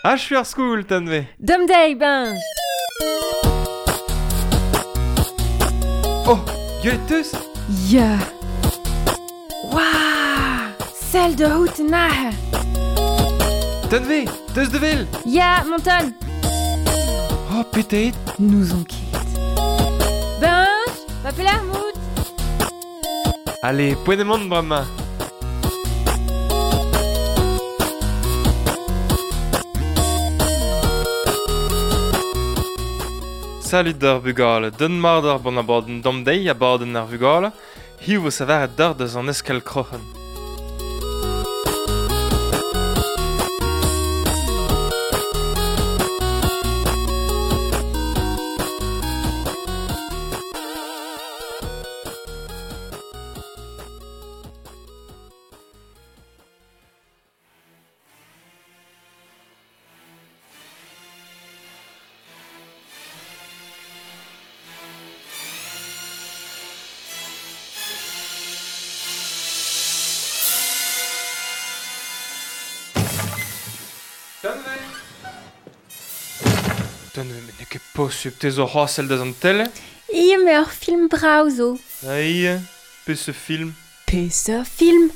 Achu ar skol, Tanve. Dom deiz, Benj. Oh, gwelet teus? Ya. Waouh! Sell da out an aze. Tanve, teus da wel? Ya, Monton. Oh, petet. N'ouzon ket. Benj, va pelec'h mout? Allez, poent emaon bremañ. Salut d'ar vugale, den mat ar bon abadenn dam deiz abadenn ar vugale, hiziv vo savaret d'ar deus an eskel kroc'hen. Tanve Tanve, met n'eo ket posupl, te zo c'hoazh sell deus an tele? Ia, me ur film brav zo. Ah, ia, peseurt film? Peseurt film?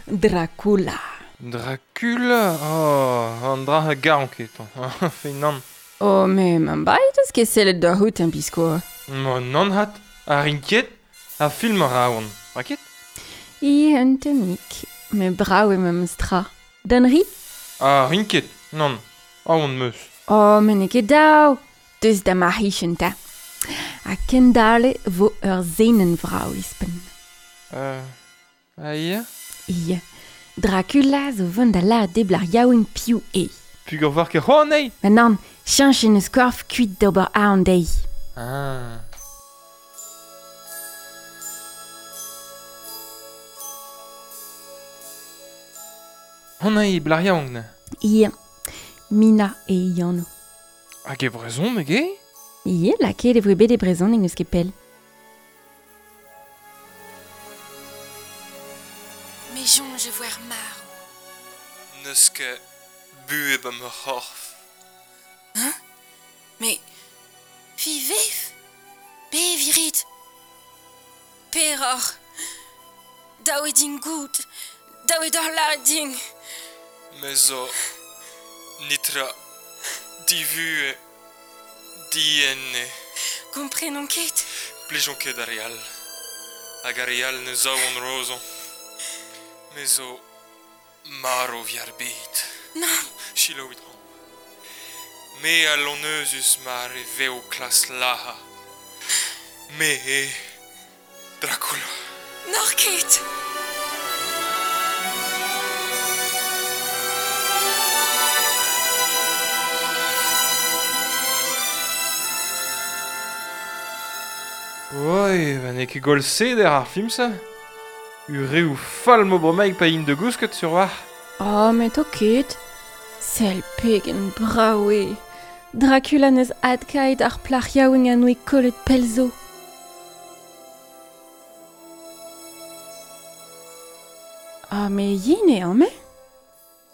Dracula. Dracula? Oh, an dra a garan ket. Fe nann. Oh, me man bai deus ket sellet da c'hout un biskoazh. Ma nann hat, a rin ket, ar film a ra on. Ra ket? Ia, un tammig. Me brav eo memes tra. D'an ri? A rin ket, nann. Aon meus. Oh, me n'eo ket dav. Deus da ma c'hichen 'ta. Ha kendale vo ur senenn vrav ouzhpenn. Ah ia? Ia. Dracula zo vont da lâret debl ar yaouank piv eo. Pugur war ket c'hoant anezhi? Ma nann, cheñch en eus korf kuit d'ober aon dezhi. Ah. Hon eo blar yaouank neuze? Ia. Mina eo he anv. Hag e brezhoneg eo? Ia, lakaet e voe bet e brezhoneg n'eus ket pell. Me soñj e voer marv. N'eus ket buhez ba ma c'horf. Hein? Mais vi vev? Beviñ 'rit? Peroc'h? Dav eo din goût. Dav eo deoc'h lâret din. Me zo nitra divuhez dienne. Komprenon ket. Plijon ket ar re all. Hag ar re all ne zaouont rozañ. Me zo marv evit ar bed. Nann. Selaouit amañ. Me a lonezus mar e vev klas lazhañ. Me eo Dracula. N'oc'h ket. Oi, ba n'eo ket gwall seder ar film-se. Ureoù fall 'mo bremaik pa int da gousket sur war. Oh, met ho ket. Sell pegen brav eo. Dracula 'neus adkaet ar plac'h yaouank a noe kollet pell zo. Ah, me yen eo, amañ.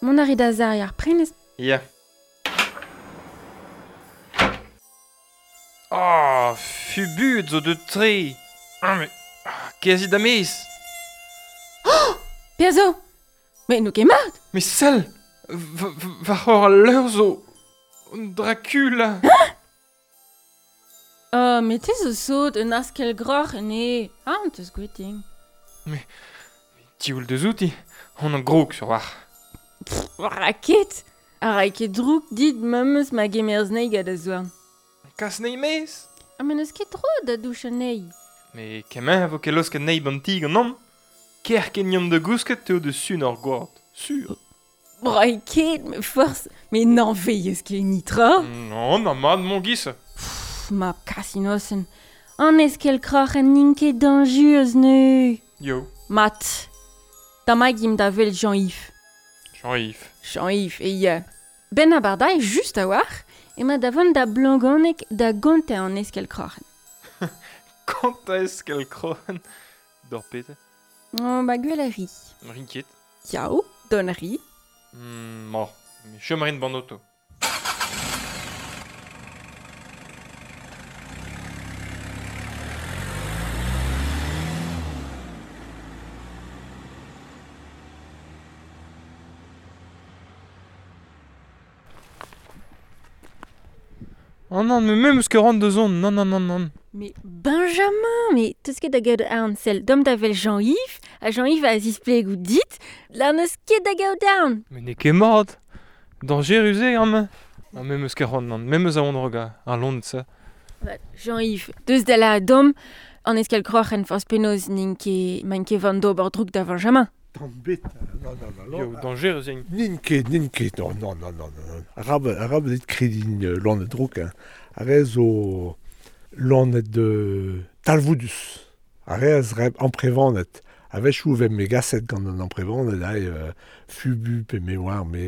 Mont a rit da serriñ ar prenestr. Ya. Ah, fubuet zo deut-tre. Ah, mais ah, kerzhit a-maez. Oh Perzh zo? Met n'eo ket mat. Mais sell, va c'hor al leur zo Dracula. Hein? Oh, met te zo sot, un askell groc'h ene. Ah, on teus gwet din. Mais diaoul deus outi, on an grog sur war. Ra ket. A ray ket droug dit memes ma gemerz anezhi gant da zourn. Kas anezhi maez. Ha ma n'eus ket tro da douch anezhi. Mais kement a vo ket laosket anezhi b'an ti ganeomp. Kerkent yomp da gousket eo da sun hor gwad, sur. Ray ket, me forzh, met n'anveilhez ket nitra. Non, na mat mon giz. Pff, ma kasinosenn. An eskell kroc'hen n'int ket dañjurus neuze. Yo. Mat. Damaik imp da welet Jean-Yves. Jean-Yves. Jean-Yves, e ya. Ben abardaez just a-walc'h emañ da vont da Blangoneg da gontañ an eskell kroc'hen. Kontañ eskell kroc'hen? D'ur pete? Oh, ba gwell a ri. Rin ket. Yao, don a ri. Ma, chom a rin ban oto. Oh non, mais me meus ket c'hoant da zont, nann, nann, nann, nann. Mais Benjamin, mais teus ket da gaout aon, sell, dom da wel Jean-Yves, ha Jean-Yves a zisplego dit, la n'eus ket da gaout aon. Mais n'eo ket mat. Dañjerus eo amañ. Ah, me meus ket c'hoant, nann, me meus aon raok ar loened-se. Jean-Yves, deus da lâret deomp, an eskell kroc'hen forzh penaos n'int ket, maint ket vont d'ober droug da Benjamin. Tamm bet, non, non, non, non. Yo, dañjerus int. N'int ket, n'int ket, non, non, non, non, non. Arabat, arabat dit krediñ loened drouk, hein. Ar re zo loened talvoudus. Ar re a zreb amprevaned. A-wechoù e vez megaset gant an amprevaned ae fubu pe me oar me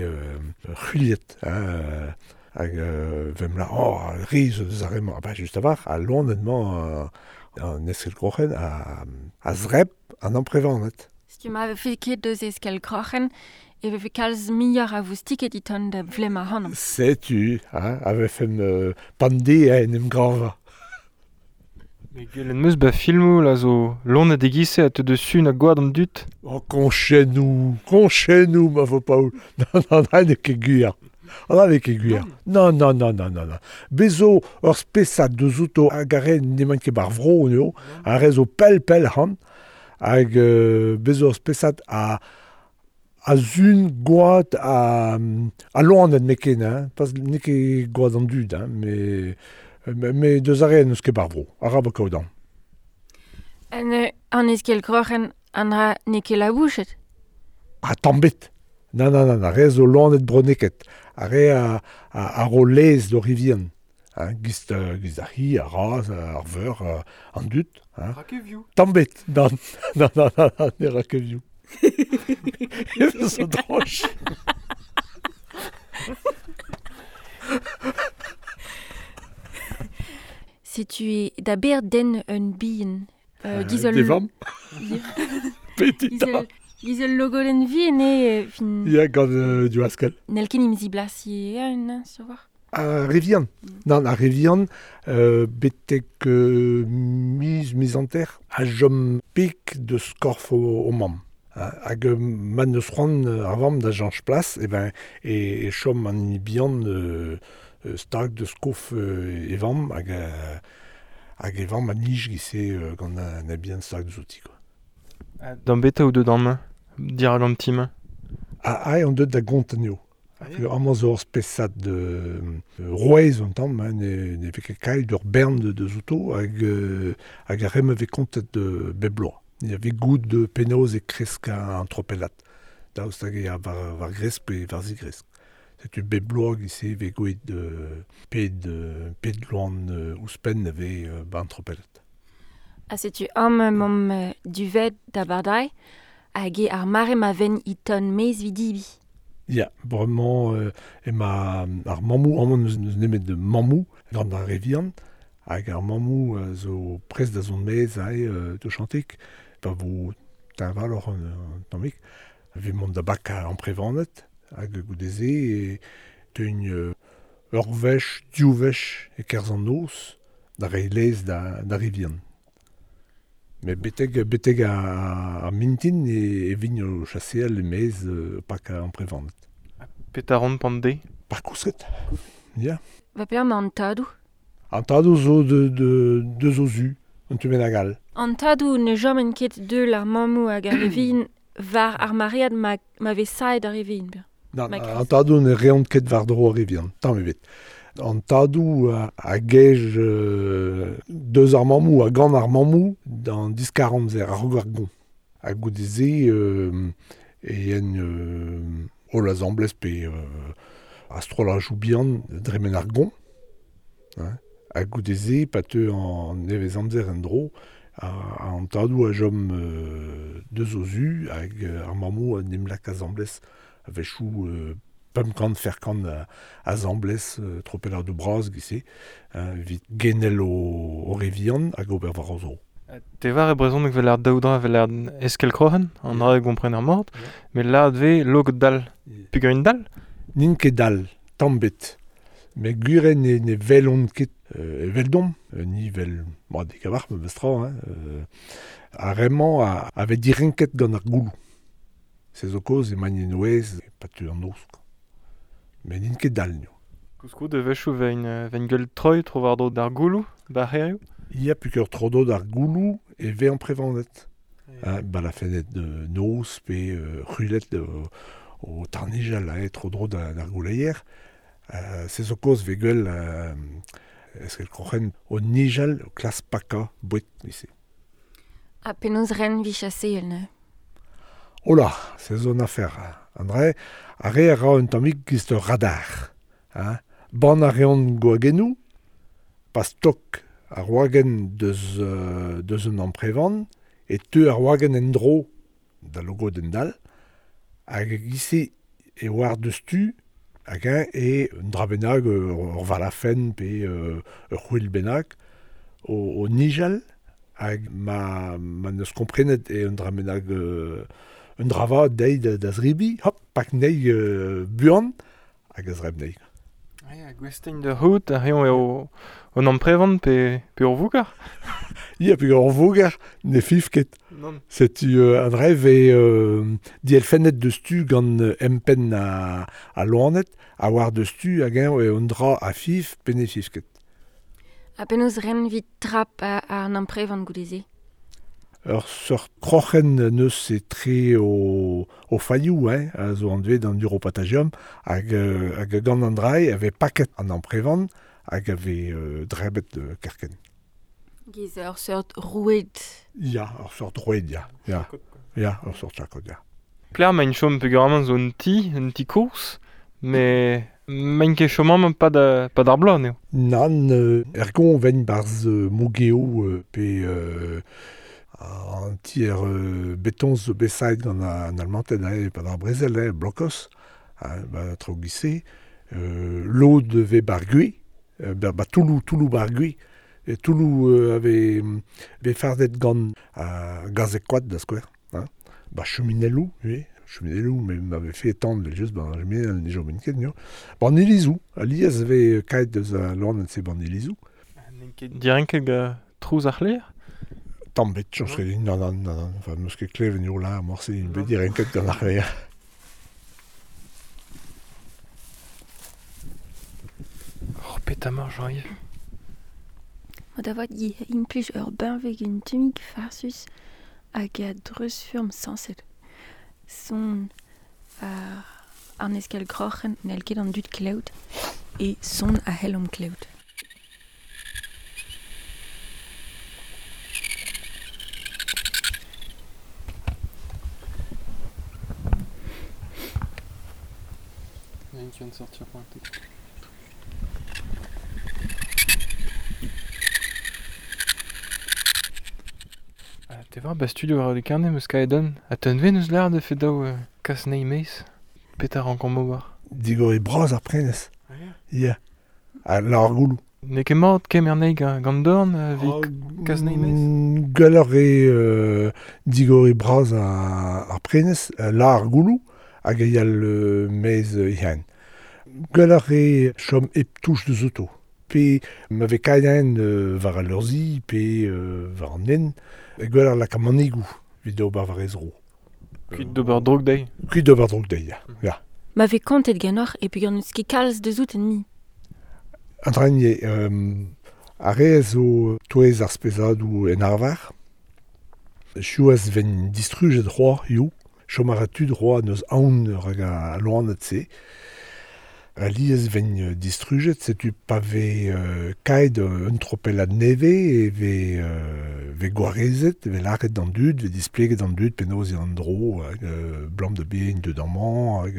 c'hwiliet, hein, hag vem la oh, re zo deus ar re-mañ. Ah bah just a-walc'h, al loened-mañ an eskell-kroc'hen a zreb an amprevaned. Setu ma vefe ket deus eskell-kroc'hen e vefe kalz muioc'h a voustiked e tont da vlemmañ ac'hanomp. Setu, hein, a vefen pande en em gravañ. Mais gwelet 'm eus ba filmoù là zo loened e-giz-se a teu deus sun ha gwad an dud. Oh, koñchennoù, koñchennoù ma vo Paol. Non, non, non, n'eo ket gwir. Ah, n'eo ket gwir. Non, non, non, non, non, non. Bez zo ur spesad deus outo hag ar re n'emaint ket ba'r vro anezho, ar re zo pell-pell ac'hann, hag bez zo ur spesad a a sun gwad a, a loened neket, hein, pas n'eo ket gwad an dud, hein, mais mais deus ar re n'eus ket ba'r vro, arabat kaout aon. An, an eskell-kroc'hen, an dra n'eo ket labouchet. Ah, tamm bet. Nann, nann, nann, ar re zo loened bronneket. Ar re a, a, a ro laezh d'o re vihan. Hein, giz, giz ar c'hi, ar razh, ar veur, an dud. Hein. Ra ket vioù. Tamm bet. Nann, nann, nann, nann, ne ra ket vioù. E zo droch. Setu e da ber den un bihan. Giz ul... D'e vamm. Petit Giz ul, giz ul logodenn vihan eo, fin... Ya, gant diwaskell. N'hell ket em ziblasiñ eeun, sur voir. Ar re vihan. Nann, ar re vihan, betek miz, miz hanter, a chom pik deus korf o mamm. Hag ma n'eus c'hoant ar vamm da cheñch plas, e ben e, e chom an hini bihan stag deus kof e vamm hag hag e vamm a nij giz-se gant an bihan stag deus outi quoi. D'an beta ou deut amañ, dirak an ti-mañ? Ah, ah, on deut da gont anezho. Amañ zo ur spesad rouez un tamm, hein, ne, ne vez ket kailh ur bern deus outo hag, hag ar re-mañ vez kontet bep bloaz. Il y avait goût de penaos e kresk an tropellat. Daoust hag eo war, war gresk pe war zigresk. Setu bep bloaz giz-se vez gwelet ped, ped loan ouzhpenn a vez ba an tropellat. Ha setu amañ emaomp duvet da Bardai hag eo ar mare ma ven e ton maez vidibi. Ya, bremañ ema ar mammoù, amañ n'eus n'eus nemet mammoù gant ar re vihan, hag ar mammoù zo prest da zont maez aze touchantik, pa vo teñvaloc'h an tammig, evit mont da bakañ amprevaned, hag goude-se e teuint ur wech, div wech e-kerzh an noz da reiñ laezh da, da re vihan. Mais betek, betek ar mintin e, e vin o chaseal e-maez pakañ amprevaned. Petra ran pan deiz? Par kousket, ya. Va pelec'h emañ an tadoù? An tadoù zo de, de, deus o zu, un tu bennak all. An tadoù ne choment ket deul ar mammoù hag ar re vihan war ar maread ma, ma vez saet ar re vihan. Nann, an tadoù ne reont ket war-dro ar re vihan, tamm ebet. An tadoù a gej deus ar mammoù ha gant ar mammoù d'an diskar-amzer, a-raok ar goñ. Ha goude-se e yen holl asambles pe a-strollajoù bihan dremen ar goñ. Hein. Ha goude-se, pa teu an nevez-amzer en-dro, an tadoù a chom deus o zu hag ar mammoù en em lak asambles a-wechoù 500 fer-kant asambles tropelladoù bras giz-se evit genel o re vihan hag ober war o zro. Te war e brezhoneg vel ar daou dra vel ar eskell-kroc'hen, an dra e gompren ar mort, met lâret vez logod dall. Peogwir dall? N'int ket dall, tamm bet. Mais gwir eo ne, ne welont ket eveldomp, ni vel ma dik a-walc'h memes tra, hein, ar re-mañ a, a vez direnket gant ar gouloù. Se zo kaoz emaint en o aez pa teu an noz. Mais n'int ket dall, n'eo. Koulskoude a-wechoù vein gwell troiñ tro-war-dro d'ar gouloù, b'ar c'hêrioù. Ya, peogwir tro-dro d'ar gouloù e vez amprevaned. Hein, balafenned noz pe c'hwiled o tarnijal tro-dro d'ar gouleier. Se zo kaoz vez gwell eskell kroc'hen o nijal o klask pakañ boued neuze. Ha penaos ren 'vit chaseal neuze? Hola, se zo un afer. An dra, ar re a ra un tammig giz ur radar. Hein. Bann a reont gwagennoù, pa stok ar wagenn deus un amprevan, e teu ar wagenn en-dro da logodenn dall, hag e-giz-se e oar deus tu hag eñ e un dra bennak ur valafenn pe ur c'hwil bennak o nijal hag ma neus komprenet e un dra bennak un dra vat dezhi da zebriñ, hop, pak anezhi buan hag a zebr anezhi. Ya, gouest int da c'hoût ha eñ eo un amprevan pe ur voger? Ya, pe ur voger ne fiñv ket. Nann. Setu an dra vez dielfennet deus tu gant empenn al loened ha war deus tu hag eñ eo un dra a fiñv pe ne fiñv ket. Ha penaos ren 'vit trap an amprevan goude-se? Ur seurt kroc'hen neus etre o failhoù hein, a zo anvet an uropatagium hag gant an dra e vez paket an amprevan hag a vez drebet kerkent. Giz ur seurt roued. Ya, ur seurt roued, ya. Ya, ya, ur seurt chakod, ya. Pelec'h emaint chom peogwir zo un ti kozh, met maint ket chom amañ pad ar bloaz anezho. Nann, er goñv 'ven 'barzh Mougeo pe an ti er betoñs zo bet savet gant an Almanted e-pad ar brezel, blokos, ba traoù giz-se. Lod 'vez 'bar gwez, ba Touloù 'bar gwez. E Touloù a vez fardet gant gazeg-koad da skouer. Hein. Ba cheminelloù, ivez, cheminelloù, met ma vefe tan evel-just, ba cheminell ne chomint ket, nio. Ba an ilizoù, alies e vez kaet deus al loened-se ba an ilizoù. N'int ket direnket gant trouz ar c'hleier? Tamm bet, soñj ket din, nann, nann, nann, enfin, 'meus ket klevet eo lâr morse int bet direnket gant ar c'hleier. Oh, petra emañ Jean-Yves? Ma da vat implij ur benveg un tammig farsus hag a dreuzfurm sañset. Son an eskell kroc'hen n'hell ket an dud klevout e son a c'hellomp klevout. Il y en a une qui vient de sortir pour un petit. Te war ba studio war de karne meus kaet an. Ha teun ven eus l'ar de fet daou kas nei meiz. Petra rankomp ober. Digor e bras ar prenez. Ya. Ha l'ar gouloù. N'eo ket mat kemer nei gant dorn evit kas nei meiz? Gwelloc'h eo digor e bras ar prenez, l'ar gouloù hag e yal meiz ihan. Gwelloc'h eo chom hep touch deus auto. Pe ma vez kaet war al leurzhi, pe war an nen, gwelloc'h lakaat manigoù evit ober war he zro. Kuit d'ober droug dezhi? Kuit d'ober droug dezhi, ya. Ya. Ma vez kontet ganeoc'h e peogwir n'eus ket kalz deus out enni. An dra eo, ar re zo touez ar spesadoù en arvar. Siwazh 'ven distrujet c'hoazh hiziv. Chom a ra tud c'hoazh n'eus aon rak al loened-se. Alies 'ven distrujet, setu pa vez kaet un tropellad nevez e vez gwarezet, vez lâret d'an dud, vez displeget d'an dud penaos eo an dro, hag blam da bein deut amañ, hag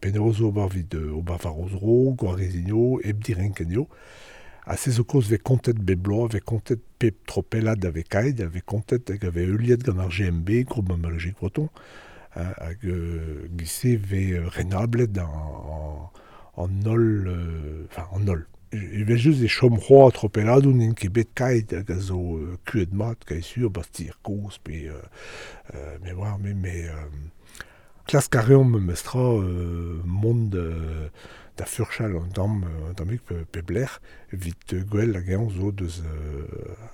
penaos ober evit ober war o zro, gwarezino, hep direnken eo. Ha se zo kaoz vez kontet bep bloaz, vez kontet pep tropellad a vez kaet, a vez kontet hag a vez heuliet gant ar GMB, Groupe Mammalogique Breton, hag giz-se vez renablet an holl, enfin an holl. Evel just e chom c'hoazh tropelladoù n'int ket bet kaet hag a zo kuet mat, kae sur, bastir kozh pe me oar, me klask a reomp memes tra mont da furchal an tamm tammig pe blec'h evit gwell hag eñ zo deus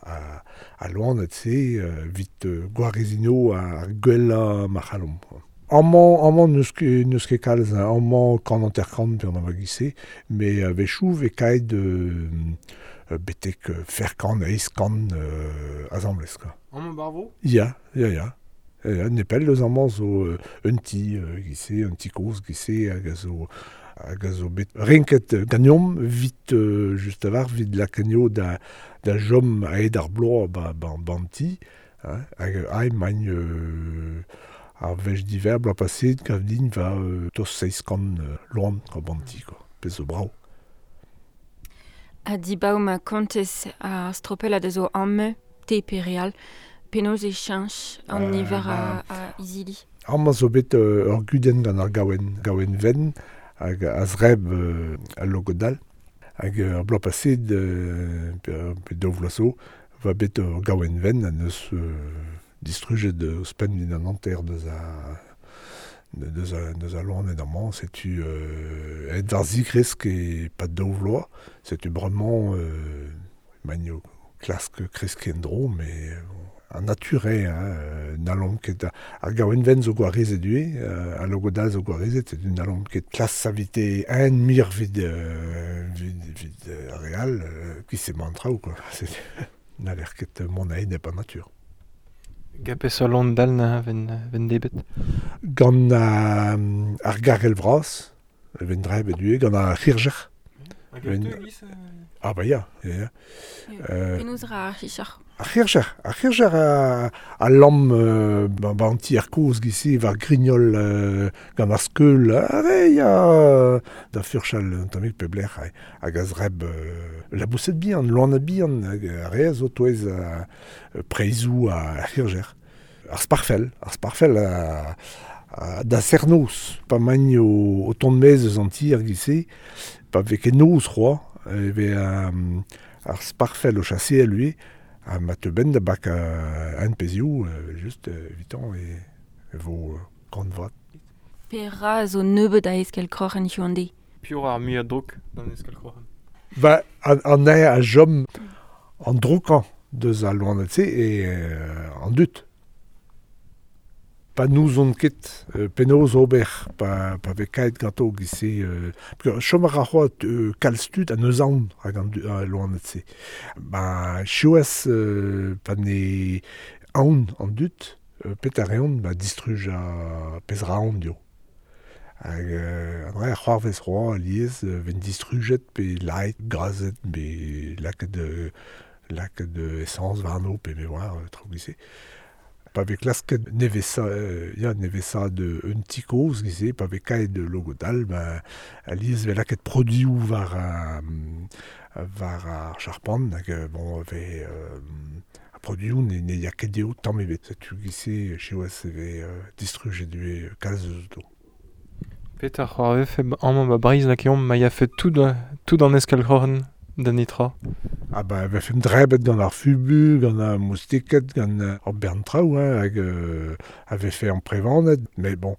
a loened-se evit gwarezino ar gwellañ ma c'hallomp. Amañ n'eus ket kalz, amañ kant hanter-kant pe an amagise, me a-wechoù vez kaet betek fer kant, eizh kant asambles, quoi. Amañ barvo? Ya. Ya, nepell eus amañ zo un ti gise, un ti kozh gise hag a zo bet renket ganeomp vit just a-walc'h vit lakaat da chom aet ar bloaz ba an ti, hein, hag aet magn ar wech diver bloaz paseet gav din va tost 700 loan ba an ti, quoi, pezh zo brav. Ha dibaou ma kontez ar stropellad a zo amañ, te pe re all, penaos e cheñch an niver a izili? Amañ zo bet ur gudenn gant ar gaouenn venn hag a zreb al logodal. Hag ar bloaz paseet, pe daou vloaz zo, va bet ur gaouenn venn ha neus distrujet ouzhpenn evit an hanter deus a loened amañ. Setu aet war zigresk e-pad daou vloaz. Setu bremañ magno klask kreskiñ en-dro, mais an natur eo, hein, n'hallomp ket ar gaouenn venn zo gwarezet ivez, al logodal zo gwarezet, setu n'hallomp ket klas savite un mir vit ar re all, ki emañ an traoù, quoi. N'haller ket mont a-enep an natur. Gant peseurt loen dall na ven debet? Gant ar garel vras, ven drebet ivez, gant ar c'hirjer. Hag ur giz? Ah bah ya. Ya. Penaos ra ar c'hirjer? Ar c'hirjer a lamm ba an ti ar kozh giz-se war grignol gant ar skeul, are ya da furchal un tammig pep lec'h hag a zreb laboused bihan, loened bihan, hag ar re a zo touez preizhoù ar c'hirjer. Ar sparfell da serr-noz, pa magn o tont maez eus an ti ar giz-se, pa vez ket noz c'hoazh, e vez ar sparfell o chaseal ivez, ha ma teu benn da bak un pezhioù, just evitan e vo kant vat. Petra zo nebeut a eskell kroc'hen hiziv an deiz? Piv ar muiañ drouk d'an eskell kroc'hen? Ba, an aer a chom an droukañ deus al loened-se e an dud. Pa n'ouzon ket penaos ober pa vez kaet ganto giz-se. Chom a ra c'hoazh kalz tud ha n'eus aon rak an loened-se. Ba siwazh pa ne aon an dud, pet a reont ba distruj a pezh ra aon dio. Hag an dra c'hoarvez c'hoazh alies ven distrujet pe laet, grazet, pe lakaet esañs warno pe me oar traoù giz-se. Pa vez klasket nevesaat un ti kozh giz-se, pa vez kaet logodal, ba alies vez lakaet produioù war ar charpant, hag bon vez ar produioù ne ya ket dezho tamm ebet. Setu giz-se siwazh e vez distrujet ivez kalz eus do. Petra c'hoarvefe amañ ba Breizh lakeomp ma yafe tout an eskell kroc'hen da netra? Ah ba vefemp drebet gant ar fubu, gant ar moustiked, gant ar bern traoù, hein, hag a vefe amprevanet, mais bon,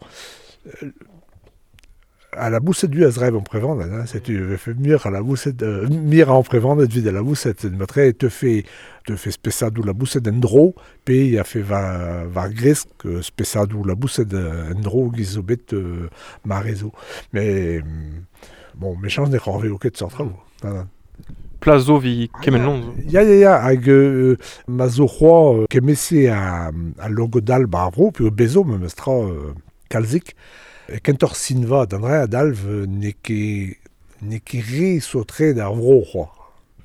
a laboused du a zreb amprevanet, hein, setu vefe mir a laboused, mir a amprevanet vid a laboused, matre te fe spesadoù laboused en dro, pe a fe war gresk spesadoù laboused en dro giz zo bet marezo. Mais bon, mechañs ne c'hoarveo ket seurt traoù. Plas zo vi kement lon zo. Ya, hag ma zo c'hoazh kemese a logodal ba ar vro, pe bezo memes tra kalzik. Kentoc'h sinva d'an dra adalv n'eo ket re saotret ar vro c'hoazh.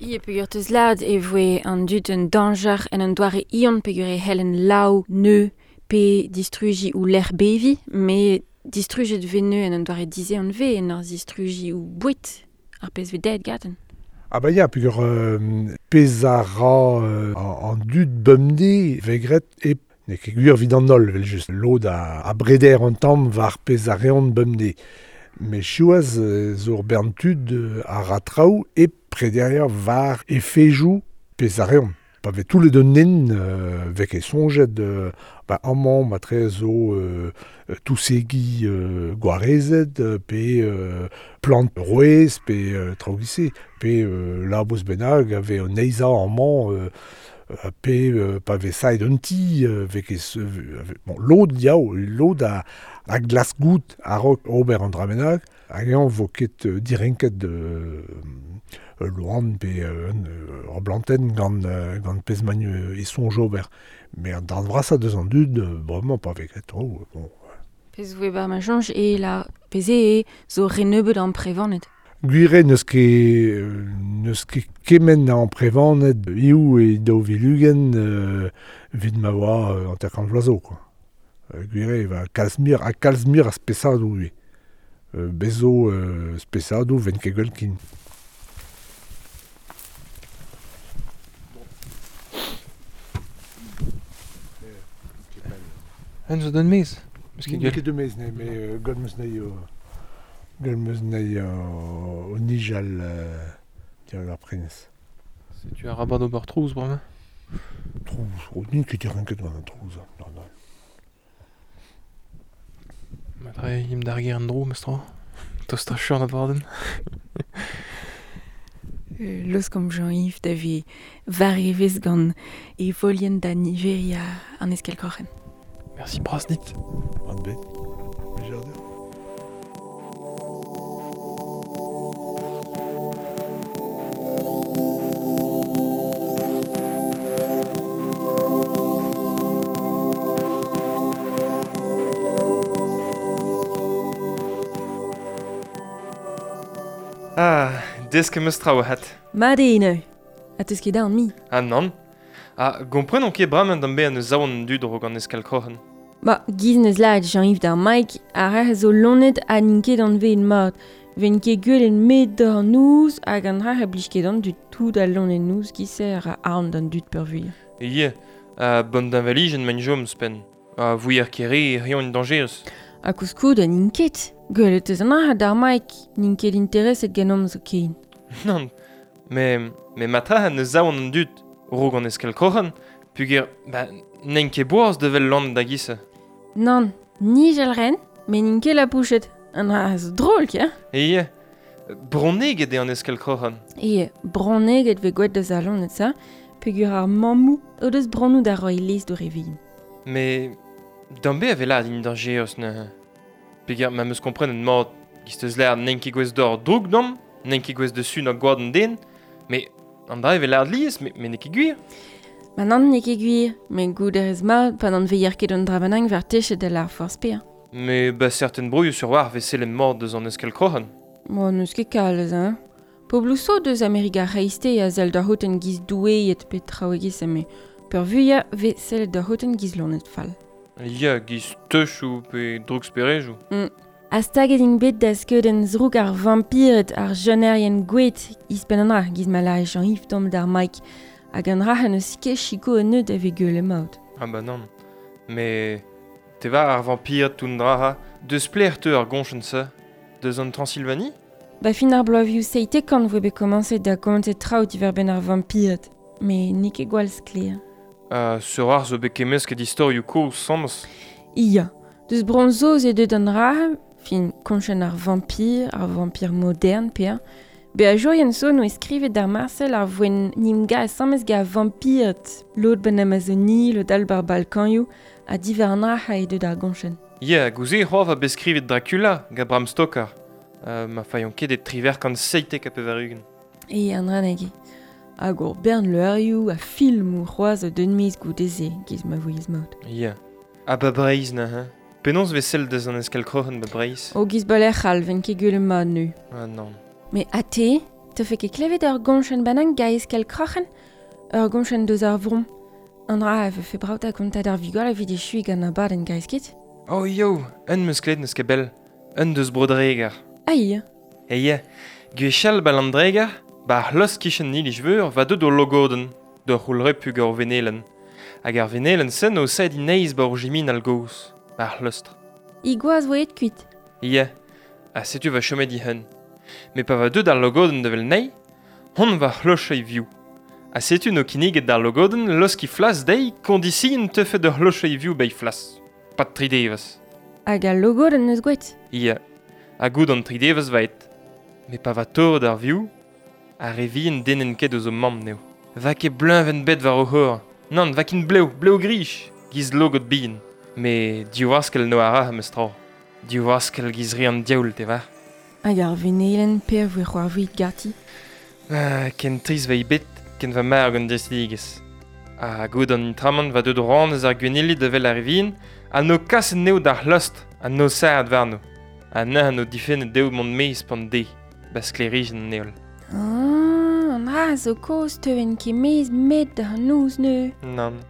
Ie peogwir teus lâret e voe an dud un dañjer en un doare ion peogwir e c'hellen laou neu pe distrujiñ ou lec'h beviñ, met distrujet vez neu en un doare dizehan vez en ur zistrujiñ ou boued ar pezh vez dezhet gaten. Ah bah ya, peogwir pezh a ra an dud bemdez vez graet e n'eo ket gwir evit an holl, evel-just. Lod a breder an tamm war pezh a reont bemdez. Met siwazh zo ur bern tud a ra traoù e prederiañ war efejoù pezh a reont. Pa vez toullet un nen vez ket soñjet ba amañ matre zo tousegi gwarezet pe plant rouez pe traoù giz-se pe labous bennak a vez o neizhañ amañ Pe pa vez saet un ti, ve ket, bon, lod diao, lod a glas gout a-raok ober an dra bennak, hag eñ vo ket direnket loan pe ur blantenn gant pezh magn e soñj ober. Mais an darn vrasañ deus an dud, bremañ pa vez ket tro, bon. Pezh voe bar ma soñj e la pezh e zo re nebeut an prevanet. Gwir eo n'eus ket kement an prevanet hiziv e 2020 evit ma oa 50 vloaz zo, quoi. Gwir eo va kalz muioc'h ha kalz muioc'h a spesadoù ivez. Bez zo spesadoù 'vent ket gwell ken. En zo d'un mez? Meus ket N'eo ket deus mez, ne, met gant meus nei gant meus nei o nijal dirak ar prenez. Setu arabat ober trouz bremañ? Trouz, oh, n'int ket direnket gant an trouz. Non, non. Matre im d'ar gêr en dro, meus tra. Tost a chur abadenn. Laoskomp Jean-Yves da vez war evezh gant e volien da niveriñ an eskell-kroc'hen. Merci bras dit. Mat bet. Blijadur. Ah, desk em eus traoù ahat. Mat eo neuze. Ha teus ket aon mi. Ah nann. Ha gompren on ket bremañ d'am bezañ neus aon an dud raok an eskell-kroc'hen. Ba, giz neus lâret Jean-Yves d'ar Mike, ar re zo lonet ha n'int ket anveet mat. Ven ket gwelet met d'ar noz hag an dra a blij ket an dud tout al lonet noz giz-se a ra aon d'an dud peurvuiañ. Ie, ha bon deñvalijenn maint chom ouzhpenn. Ha vouier kere e reont dañjerus. Ha koulskoude n'int ket. Gwelet eus an dra d'ar Mike, n'int ket intereset ganeomp zoken. Nann, met matra neus aon an dud raok an eskell-kroc'hen, peogwir ba, n'int ket boaz da wel lonet da giz-se. Nann, nijal ren, met n'int ket lapouchet. An dra zo drol, ke? Ie, bronneged eo an eskell-kroc'hen. Ie, bronneged vez gwelet deus al loened sa, peogwir ar mammoù o deus bronnoù da roiñ lez d'o re vihan. Mais d'am bez a vez lâret int dañjerus neuze. Peogwir ma 'm eus komprenet mat, giz teus lâret n'int ket gouest d'ober droug deomp, n'int ket gouest da sunañ gwad an den, met an dra e vez lâret lies, met n'eo ket gwir. Ma nann n'eo ket gwir, met goût a rez mat pa n'anvezer ket an dra bennak war techet da lâr forzh pe'a. Mais ba certain broioù sur war vez sellet mat deus an eskell-kroc'hen. Bon, n'eus ket kalz, hein. Pobloù zo deus Amerika ar C'hreisteiz a sell da c'houten giz doueed pe traoù e-giz-se, met peurvuiañ vez sellet da c'houten giz loened fall. Ya, giz teuchoù pe drouksperejoù. Ha staget int bet da skeudenn zrouk ar vampired, ar jenerien gouet, ouzhpenn an dra, giz ma lâre Jean-Yves tamm d'ar Mike, hag an dra n'eus ket sikour an neud a vez gwell emaout. Ah bah nann. Mais te war ar vampired tout an dra deus pelec'h teu ar goñchenn-se? Deus an Transylvanie? Ba fin ar bloavezhioù 70 voe bet komañset da gontañ traoù diwar-benn ar vampired, met n'eo ket gwall sklaer. Sur ar zo bet kemmesket istorioù kozh sañs. Ya, deus Bro-Saoz eo deuet an dra, fin koñchenn ar vampir, ar vampir modern pe Beajourien zo n'oa skrivet d'ar Marcel ar voen n'em asambles gant vampired, lod ben Amazonie, lod all bar Balkanioù, ha diwar an dra eo deuet ar goñchenn. Ya, gouze c'hoar va bet skrivet Dracula gant Bram Stoker. Ma failhont ket e 1997. E an dra nag eo. Hag ur bern leurioù ha filmoù c'hoazh a deun miz goude-se, giz ma vouiez mat. Ya. Ha ba Breizh neuze? Penaos vez sell deus an eskell-kroc'hen ba Breizh? O giz balec'h all, ven ket gwell mat nu. Ah nann. Mais ha te, te fe ket klevet ur goñchenn bennak ga eskell-kroc'hen? Ur goñchenn deus ar vro. An dra a vefe brav da gontañ d'ar vugale evit echuiñ gant abadenn gaez ket? Oh yo, un meus klevet n'eus ket bell. Un deus Bro-Dreger. Ah ya. E ya, gwechall ba Landreger, ba ar c'hlosk kichen iliz-veur va deut o logodenn, d'ur c'houlrepu gant ur venelenn. Hag ar venelenn-se o saet ineiz ba ur jiminal gozh, ba ar c'hleustr. I gwaz voe aet kuit. Ya, ha setu va chomet dic'hen. Met pa va deut ar logodenn da wel nei, hon va c'hlochei vioù. Ha setu n'o kinniget d'ar logodenn loskiñ flas dezhi kondision teufe d'ur c'hlochei vioù bei flas. Pad tri devezh. Hag al logodenn neus gwet. Ya, ha gout an tri devezh va aet. Met pa va torret ar vioù, ar re vihan dennent ket eus o mamm n'eo. Va ket bleuñvenn bet war o c'hor. Nann, va kin blev, blev grij, giz logod bihan. Me diwaskel no a ra meus tra. Diwaskel giz re an diaoul, te var. Hag ar venelen per voe c'hoarvit ganti. Ken triz va bet, ken va mar gant dristidigezh. Ha gout an intramant va deut ran eus ar gwenili da vel ar revin, ha no kaset neo d'ar c'hlost, ha no saad warno. Ha neuze no difennet dezho mont maez pan de, ba sklêrijenn an heol. Ah, an dra zo kozh teuent ket maez met d'ar noz neu. Nann.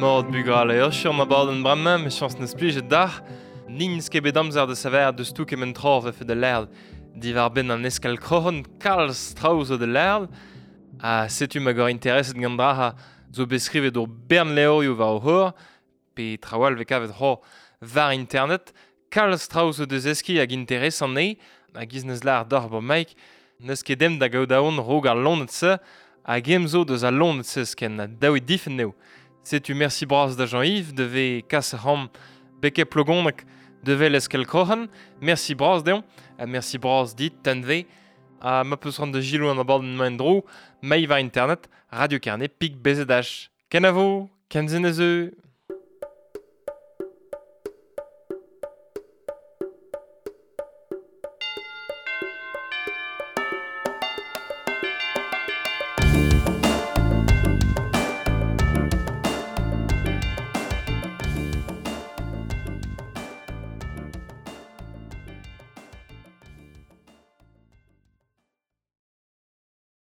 Mort bugal eo sur ma baden bremañ, me chañs neus plijet d'ar. N'ins ket bet amzer da saver deus tou kement tra vefe da lerd. Diwar benn an eskal kroc'hon kalz traoù zo da lerd. Ha setu ma gor intereset gant dra ha zo bet skrivet ur bern levrioù war o c'hor, pe traoù all vez kavet c'hor war internet. Kalz traoù zo deus eski hag interesant eo, hag iz neus lar d'ar bo Mike, neus ket dem da gaout aon rog ar lonet-se, hag em zo deus al lonet-se sken, daou e difen eo. Setu merci bras da Jean-Yves, devez kas ram beke plogonek devel eskel kroc'hen. Merci bras deomp, ha merci bras dit, tenve, ha ma peus ran da gilou an abadenn maen dro, maï war internet, Radio Carnet, pik BZH. Kenavo, kenzen ez eu.